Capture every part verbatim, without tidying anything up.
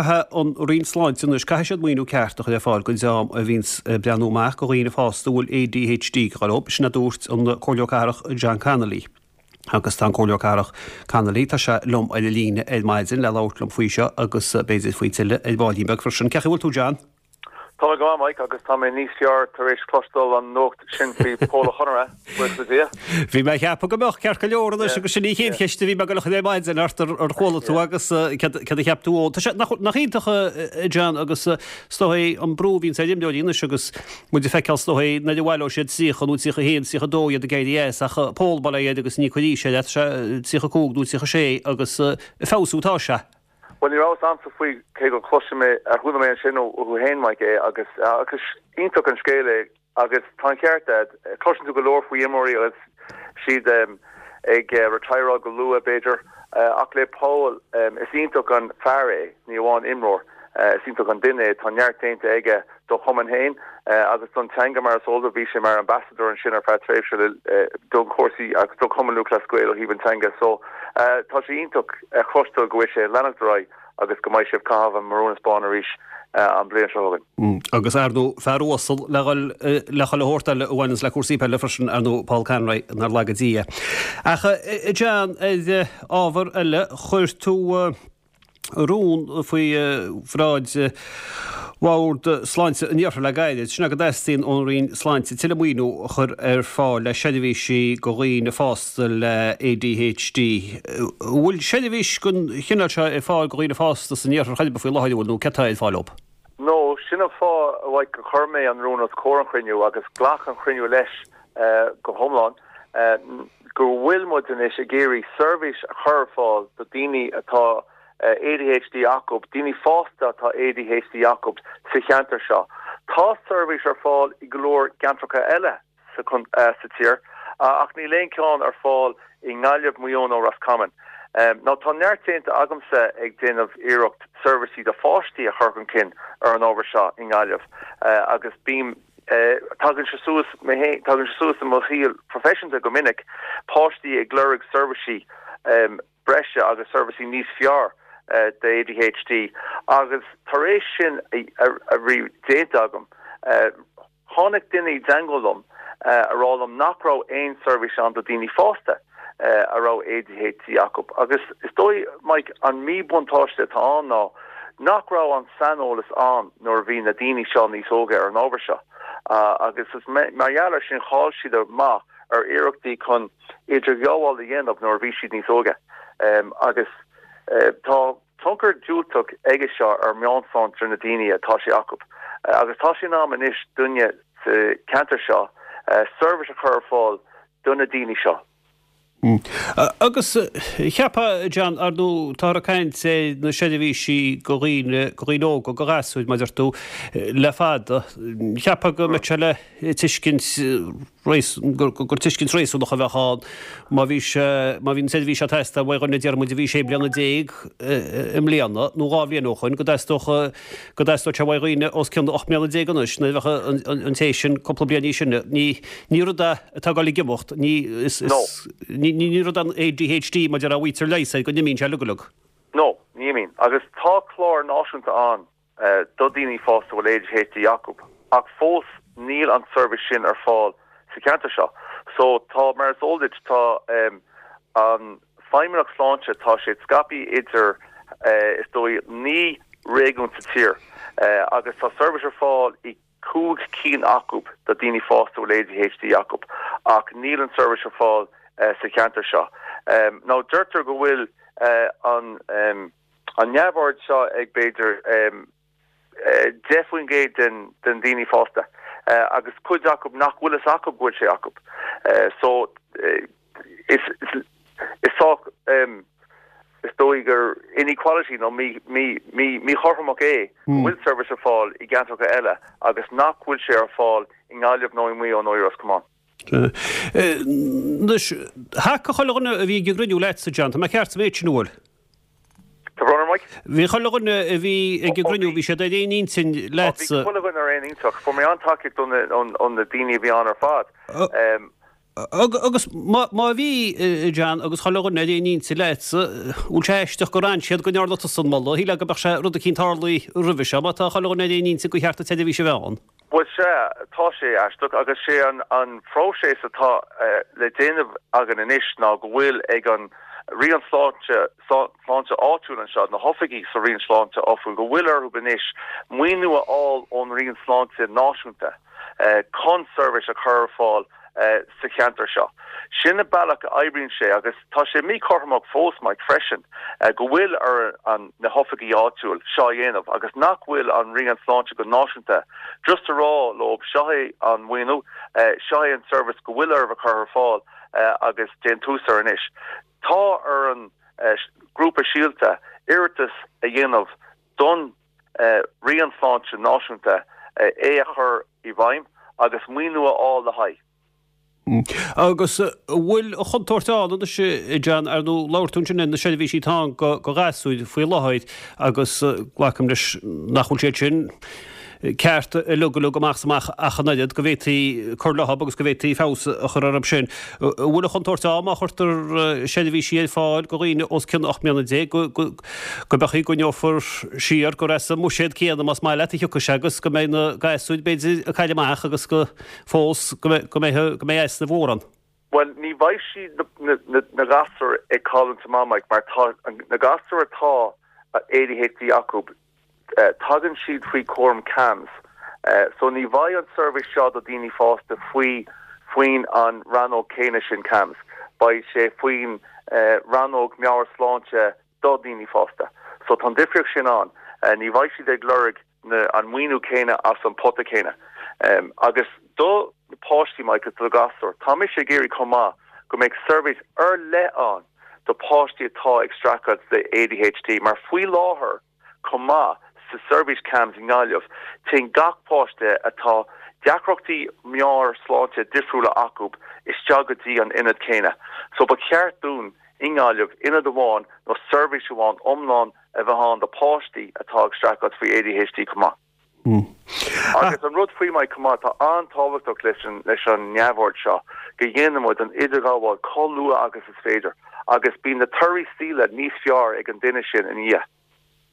Caithfidh an Roinn Sláinte anois, caithfidh siad maoiniú ceart a chur ar fáil don dream a bhíonns ag breathnú amach do dhaoine fásta a bhfuil ADHD ag gabháil leo, sin a dúirt an Comhairleoir Cathrach John Connolly. Agus tá an Comhairleoir Cathrach Connolly, tá sé liom ar an líne ar maidin le labhairt liom faoi seo agus b'fhéidir faoi tuilleadh ar bhaillín beag freisin. Cén chaoi a bhfuil tú John? Tá mé go maith Mike agus tá mé níos fearr tar éis cloisteáil an nuacht sin faoi Pól Ó Conaire, buíochas le Dia. Bhí mé ag ceapadh go mbeadh ceart go leor anois agus sin í an chéad cheist a bhí mé ag dul a chur ar maidin ort ar chuala tú agus céard a cheap tú. Tá sé nach iontach John agus is dóigh an brú a bhíonns ar imreoirí anois agus muid ag feiceáil is dóigh nuair a bhaileoidh siad tríocha nó tríocha a haon, tríocha a dó iad ag éirí as ach Pól bail ó Dhia air agus ní cuir aois air, tá sé tríocha a cúig nó tríocha a sé agus ag feabhsú atá sé. Bhuel, ní raibh a fhios a'msa faoi cé gur chloisim é, ar chuala mé ansin ó thú fhéin, Mike, é agus agus iontach an scéal é agus tá an ceart a'd, cloiseann tú go leor faoi imreoirí agus siad ag retireáil go luath b'fhéidir ach le Paul is iontach an fear é, ní amháin imreoir, is iontach an duine é, tá neart déanta aige do chumann fhéin agus don teanga mar is eol duit, bhí sé mar ambassador ansin ar feadh tréimhse le don chúrsaí agus do Chumann Lúthchleas Gael ó thaobh an teanga so tá sé iontach a chloisteáil go bhfuil sé ag leanacht ar aghaidh agus go mbeidh sé ag caitheamh an marún is bán arís an bhliain seo chugainn. Agus ar ndóigh fear uasal le dhul le chuile shórt eile a bhaineanns le cúrsaí peile freisin, ar ndóigh Paul Conroy, nár laga Dia é. Ach a John, ar ábhar eile, chuir tú rún faoi bhráid Bhord Sláinte an Iarthair le gairid, sin é go dteastaíonn ón Roinn Sláinte tuilleadh maoiniú a chur ar fáil le seirbhísí do dhaoine fásta le ADHD. An bhfuil seirbhís den chineál seo ar fáil do dhaoine fásta san Iarthar chor ar bith faoi láthair, an bhfuil, nó céard atá ar fáil dóibh? No, sin an fáth, a Mhaidhc, gur chuir mé an rún os comhair an chruinniú agus ghlac an chruinniú leis go hiomlán, go bhfuil muid anois ag iarraidh seirbhís a chur ar fáil do daoine atá ADHD acu, daoine fásta atá ADHD acu sa cheantar seo. Tá seirbhís ar fáil i go leor ceantracha eile sa sa tír ach níl aon ceann ar fáil i nGaillimh, Maigh Eo nó Ros Comáin. Now tá neart déanta agamsa ag déanamh iarracht seirbhísí do pháistí a chur chun cinn ar an ábhar seo i nGaillimh agus bím tagann sé suas tagann sé suas i mo shaol proifisiúnta go minic, páistí ag lorg seirbhísí breise agus seirbhísí níos fearr d'ADHD agus tar éis sin a bhí déanta agam, tháinig duine i dteagmháil liom a rá liom nach raibh aon seirbhís ann do daoine fásta a raibh ADHD acu agus is dóigh Mike an míbhuntáiste atá ann ná nach raibh an saineolas ann nuair a bhí na daoine seo níos óige ar an ábhar seo agus is mar gheall ar sin chaill siad amach ar iarrachtaí chun idirghabháil a dhéanamh nuair a bhí siad níos óige agus tá tionchar diúltach aige seo ar mheabhairshláinte na daoine atá sé acu agus tá sé in am anois dúinne sa cheantar seo seirbhís a chur ar fáil do na daoine seo. Agus cheapfá, John, ar ndóigh, táthar ag caint ar na seirbhísí do dhaoine, do dhaoine óga, do ghasúir, mar a deir tú, le fada. Cheapfá go mbeadh sé le tuiscint, gur tuiscint réasúnach a bheadh ann má bhí sé, má bhí an tseirbhís ag teastáil uaidh dhuine, deir muid, a bhí sé bliana déag i mbliana nó dhá bhliain ó shoin, go dteastódh, go dteastódh sé uaidh dhaoine os cionn ocht mbliana déag anois, nuair a bheadh an té sin cúpla bliain níos sine. Ní, ní rud é atá ag dul ag imeacht, ní, is, is, ní, ní rud é an ADHD mar a déarfá a bhfaightear leigheas air go n-imíonn sé uilig uilig. No, ní imíonn. Agus tá clár náisiúnta ann do daoine fásta a bhfuil ADHD acu, ach fós níl an tseirbhís sin ar fáil sa cheantar seo. So tá, mar is eol duit, tá an Feidhmeannacht Sláinte, tá sé scaipthe idir, is dóigh, naoi réigiún sa tír agus tá seirbhís ar fáil i cúig cinn acu do daoine fásta a bhfuil ADHD acu ach níl an seirbhís ar fáil sa cheantar seo. Now deirtear go bhfuil an an neamhord seo ag b'fhéidir deich faoin gcéad den den daoine fásta agus cuid acu nach bhfuil fhios acu go bhfuil sé acu. So is is sách is dóigh gur inequality nó míchothromach é go bhfuil seirbhís ar fáil i gceantracha eile agus nach bhfuil sé ar fáil i nGaillimh nó i Maigh Eo nó i Ros Comáin. Anois, thacaigh chuile dhuine a bhí ag an gcruinniú leatsa, John, tá mé ceart sa mhéid sin, an bhfuil? Tá brón orm, Mike. Bhí chuile dhuine a bhí ag an gcruinniú, bhí siad ar aon intinn leatsa. Bhí chuile dhuine ar aon intinn. Fuair mé an-tacaíocht ó na daoine a bhí ann ar fad. Agus má bhí, John, agus chuile dhuine ar aon intinn leatsa, bhfuil sé aisteach gur fhan siad go ndearna tusa an moladh? Shílfeá go mbeadh sé rud eicínt tarlaithe roimhe seo, má tá chuile dhuine ar aon intinn gur cheart an tseirbhís a bheith ann. Bhuel, sea, tá sé aisteach agus sé an an phróiseas atá le déanamh againn anois ná go bhfuil ag an Roinn Sláinte Sláinte áitiúil anseo, na hoifigí sa Roinn Sláinte áitiúil, go bhfuil orthu anois maoiniú a fháil ón Roinn Sláinte náisiúnta chun seirbhís a chur ar fáil sa cheantar seo. Sin an bealach a oibríonn sé agus tá sé míchothromach fós, Mike, freisin go bhfuil ar an na hoifigí áitiúil seo a dhéanamh agus nach bhfuil an Roinn Sláinte go náisiúnta just a rá leo seo é an maoiniú, seo é an service go bhfuil oraibh a chur ar fáil agus déan tús air anois. Tá ar an grúpa Síolta iarratas a dhéanamh don Roinn Sláinte náisiúnta é a chur i bhfeidhm agus maoiniú a fháil le haghaidh. Agus an bhfuil an chontúirt ann anois, John, ar ndóigh labhair tú ansin ar na seirbhísí atá ann do ghasúir faoi láthair agus glacaim leis nach bhfuil siad sin ceart uilig uilig amach is amach ach an oiread, go bhféadfaí cur leo agus go bhféadfaí feabhas a chur orthu sin. An bhfuil an chontúirt ann má chuirtear seirbhísí ar fáil do dhaoine os cionn ocht mbliana déag go mbeadh go ngeofar siar gur as an mbuiséad céanna más maith leat a thiocfaidh sé agus go mbeidh na gasúir b'fhéidir ag cailleadh amach agus go fós go mbeidh go mbeidh easnamh mhór ann. Bhuel, ní bheidh siad na gasúir ag cailliúint amach, Mike, mar tá na gasúir atá A D H D acu, tagann siad faoi chúram CAMHS. So ní bheidh an seirbhís seo do daoine fásta faoi faoin an rannóg céanna sin CAMHS. Beidh sé faoin rannóg meabhairshláinte do daoine fásta. So tá an difríocht sin ann. Ní bheidh siad ag lorg na, an maoiniú céanna as an pota céanna. Agus do na páistí, Mike, do gasúir, tá mise ag iarraidh chomh maith go mbeidh seirbhís ar leith ann do páistí atá ag streachailt le A D H D, mar faoi láthair chomh maith sa seirbhís CAMHS i nGaillimh, téann gach páiste atá deacrachtaí meabhairshláinte difriúla acu isteach go dtí an ionad céanna. So ba cheart dúinn i nGaillimh ionad amháin nó seirbhís amháin iomlán a bheith ann do páistí atá ag streachailt faoi A D H D chomh maith. Mm. Agus an rud faoi Mike chomh maith atá an-tábhachtach leis an leis an neamhord seo go dhéanann muid an idirghabháil chomh luath agus is féidir agus bíonn na torthaí saoil níos fearr ag an duine sin in dhiaidh.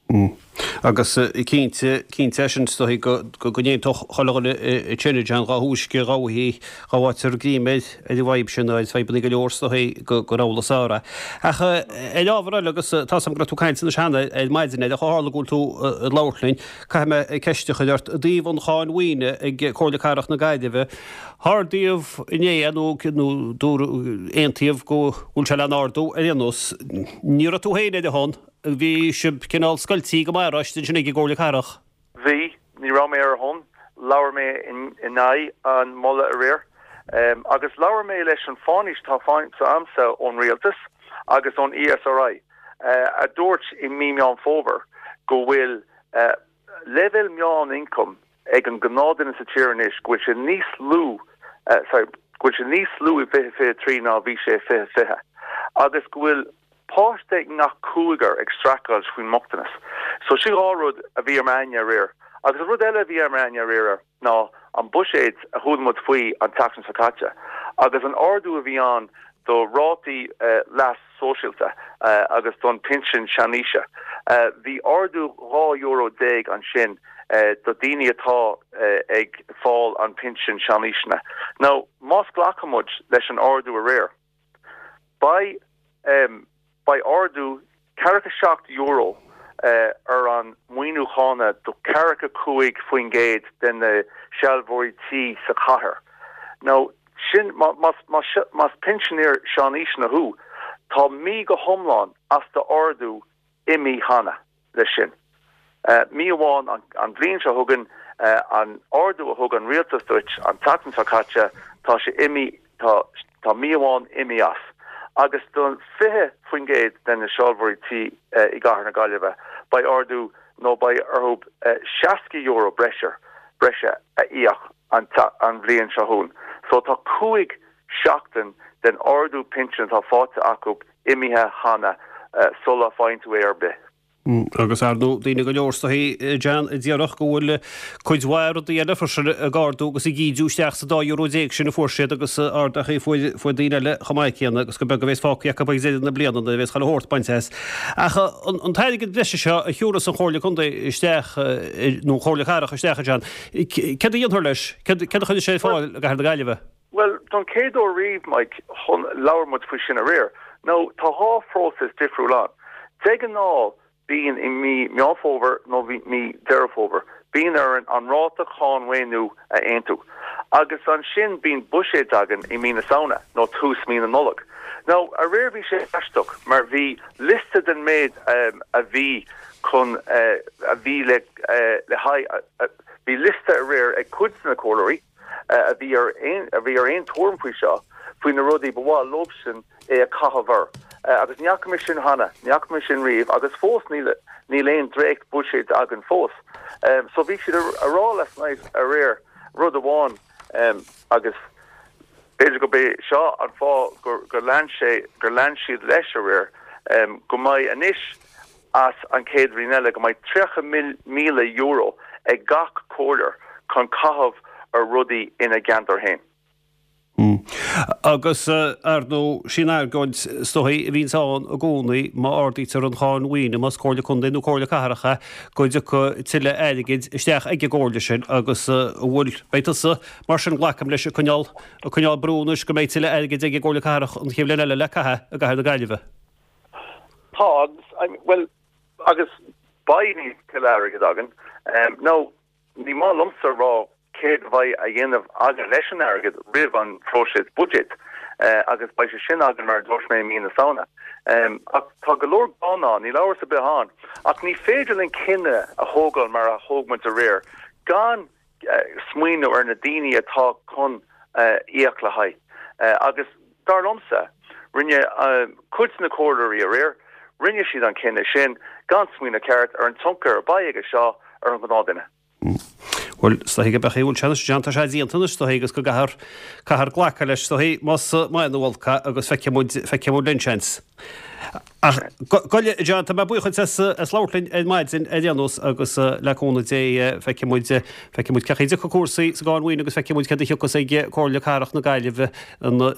Mm. Agus cinnte cinnte sin is dóigh go go n-aontódh chuile dhuine sin John dá thúisce dá mhoille dá bhfaightear greim ar ar an bhfadhb sin ar fadhbanna go leor is dóigh go gur amhlaidh is fearr é. Ach ar ábhar eile agus tá 's agam go raibh tú ag caint anois cheana ar maidin air ach ó tharla go bhfuil tú ag labhairt linn caithfidh mé ceist a chur ort i dtaobh an cháin mhaoine ag Comhairle Cathrach na Gaillimhe. Ardaíodh inné nó nó dúradh aontaíodh go bhfuil sé le n-ardú ar aon nós. Ní raibh tú féin ar a shon. Bhí sibh cineál scoiltí go maith arís ansin ag an gComhairle Cathrach. Bhí, ní raibh mé ar a shon, labhair mé in aghaidh an moladh aréir. Agus labhair mé leis an fánaís atá faighte a'msa ón Rialtas agus ón E S R I a dúirt i mí Meán Fómhair go bhfuil leibhéal meán ioncaim ag an gnáthduine sa tír anois go bhfuil sé níos lú, sorry, go bhfuil sé níos lú i fiche fiche trí ná bhí sé i fiche fiche agus go bhfuil páiste i ngach cúigear ag streachailt faoin mbochtanas. So sin dhá rud a bhí ar m'aigne aréir. Agus an rud eile a bhí ar m'aigne aréir ná an buiséad a chuala muid faoi an tseachtain seo caite agus an ardú a bhí ann do rátaí leas sóisialta agus don pinsean seanaoise. Bhí ardú dhá euro déag ansin do daoine atá ag fáil an pinsean seanaoiseanna. Now más glacann muid leis an ardú aréir, beidh beidh ardú ceathracha seacht euro ar an maoiniú cánach do ceathracha cúig faoin gcéad de na sealbhóirí tí sa chathair. Now sin más más pinsinéir seanaoiseanna thú, tá mí go hiomlán as do ardú imithe cheana leis sin. Mí amháin an bhliain seo chugainn an ardú a thug an rialtas duit an tseachtain seo caite, tá sé imithe tá tá mí amháin imithe as. Agus don fiche faoin gcéad de na sealbhóirí tí i gcathair na Gaillimhe, beidh ardú nó beidh orthu seasca euro breise breise a íoc an an bhliain seo chugainn. So tá cúig seachtain den ardú pinsin atá faighte acu imithe cheana sula bhfaigheann tú é ar bith. Agus ar ndóigh daoine go leor is dóichí, John, a déarfadh go bhfuil cuid mhaith rudaí eile freisin ag ardú agus ag ídiú isteach sa dá euro déag sin a fuair siad agus arduithe a fuair daoine eile chomh maith céanna agus gur beag a bhéas fágtha acu ag deireadh na bliana nuair a bhéas chuile shórt bainte as. Ach an t-airgead breise seo a thiúrfas an Chomhairle Contae isteach, nó an Chomhairle Cathrach isteach, a John, céard a dhéanfar leis? Céard a chuirfidh sé ar fáil i gCathair na Gaillimhe? Bhuel, don chéad uair riamh, Mike, labhair muid faoi sin aréir. Now, tá dhá phróiseas difriúil ann. De ghnáth, bíonn i mí Meán Fómhair nó mí Deireadh Fómhair, bíonn orainn an ráta cáin mhaoiniú a aontú. Agus ansin bíonn buiséad againn i mí na Samhna nó tús mí na Nollag. Now, aréir bhí sé aisteach mar bhí liosta den méid a bhí chun, a bhí le le haghaidh, bhí liosta aréir ag cuid de na comhairleoirí, a bhí ar aon a bhí ar aon tuairim faoi seo, faoi na rudaí ba mhaith leobsan é a chaitheamh air. Agus ní fhaca mé sin cheana, ní fhaca mé sin riamh agus fós níl níl aon dréacht buiséid againn fós. So bhí siad a rá last night aréir rud amháin agus b'fhéidir gurb é seo an fáth gur gur lean sé gur lean siad leis aréir go mbeidh anois as an chéad bhliain eile go mbeidh tríocha míle euro ag gach comhairleoir chun caitheamh ar rudaí ina gceantar féin. Agus, ar ndóigh, sin argóint is dóichí a bhíonns ann i gcónaí má ardaítear an cháin mhaoine, más Comhairle Contae nó Comhairle Cathrach é, go dtiocfaidh tuilleadh airgid isteach ag an gcomhairle sin agus an bhfuil, beidh tusa, mar sin, glacaim leis, ag coinneáil, ag coinneáil brú anois go mbeidh tuilleadh airgid ag an gComhairle Cathrach an chéad bhliain eile le caitheamh i gCathair na Gaillimhe. Tá, agus, bhuel, agus beidh tuilleadh airgid againn. Now, ní maith liomsa a rá céard a bheidh a dhéanamh againn leis an airgead roimh an phróiseas buiséid, agus beidh sé sin againn, mar a dúirt mé, i mí na Samhna. Ach tá go leor gá ann, níl amhras ar bith ann. Ach ní féidir linn cinneadh a thógáil mar a thóg muid aréir gan smaoineamh ar na daoine atá chun íoc le haghaidh. Agus dar liomsa, rinne cuid de na comhairleoirí aréir, rinne siad an cinneadh sin gan smaoineamh ceart ar an tionchar a bheidh aige seo ar an ghnáthduine. Bhuel, is dóichí go mbeadh, bhuel, sea anois, tá sé déanta anois, is dóichí, agus go gcaithfear, caithfear glacadh leis, is dóichí, más maith nó olc é, agus feicfidh muid, feicfidh muid linn, seans. Ach, gabh i leith, John, tá mé buíoch duit as, as labhairt linn ar maidin ar aon nós agus le cúnamh Dé feicfidh muid, feicfidh muid cén chaoi a dtiocfaidh cúrsaí sa gcáin mhaoine agus feicfidh muid céard a thiocfas ag Comhairle Cathrach na Gaillimhe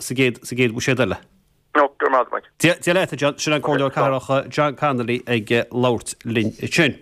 sa gcéad, sa gcéad bhuiséad eile. No, go raibh maith agat, Mike. Dia, Dia leat, a John. Sin an Comhairleoir Cathrach John Connolly ag labhairt linn ansin.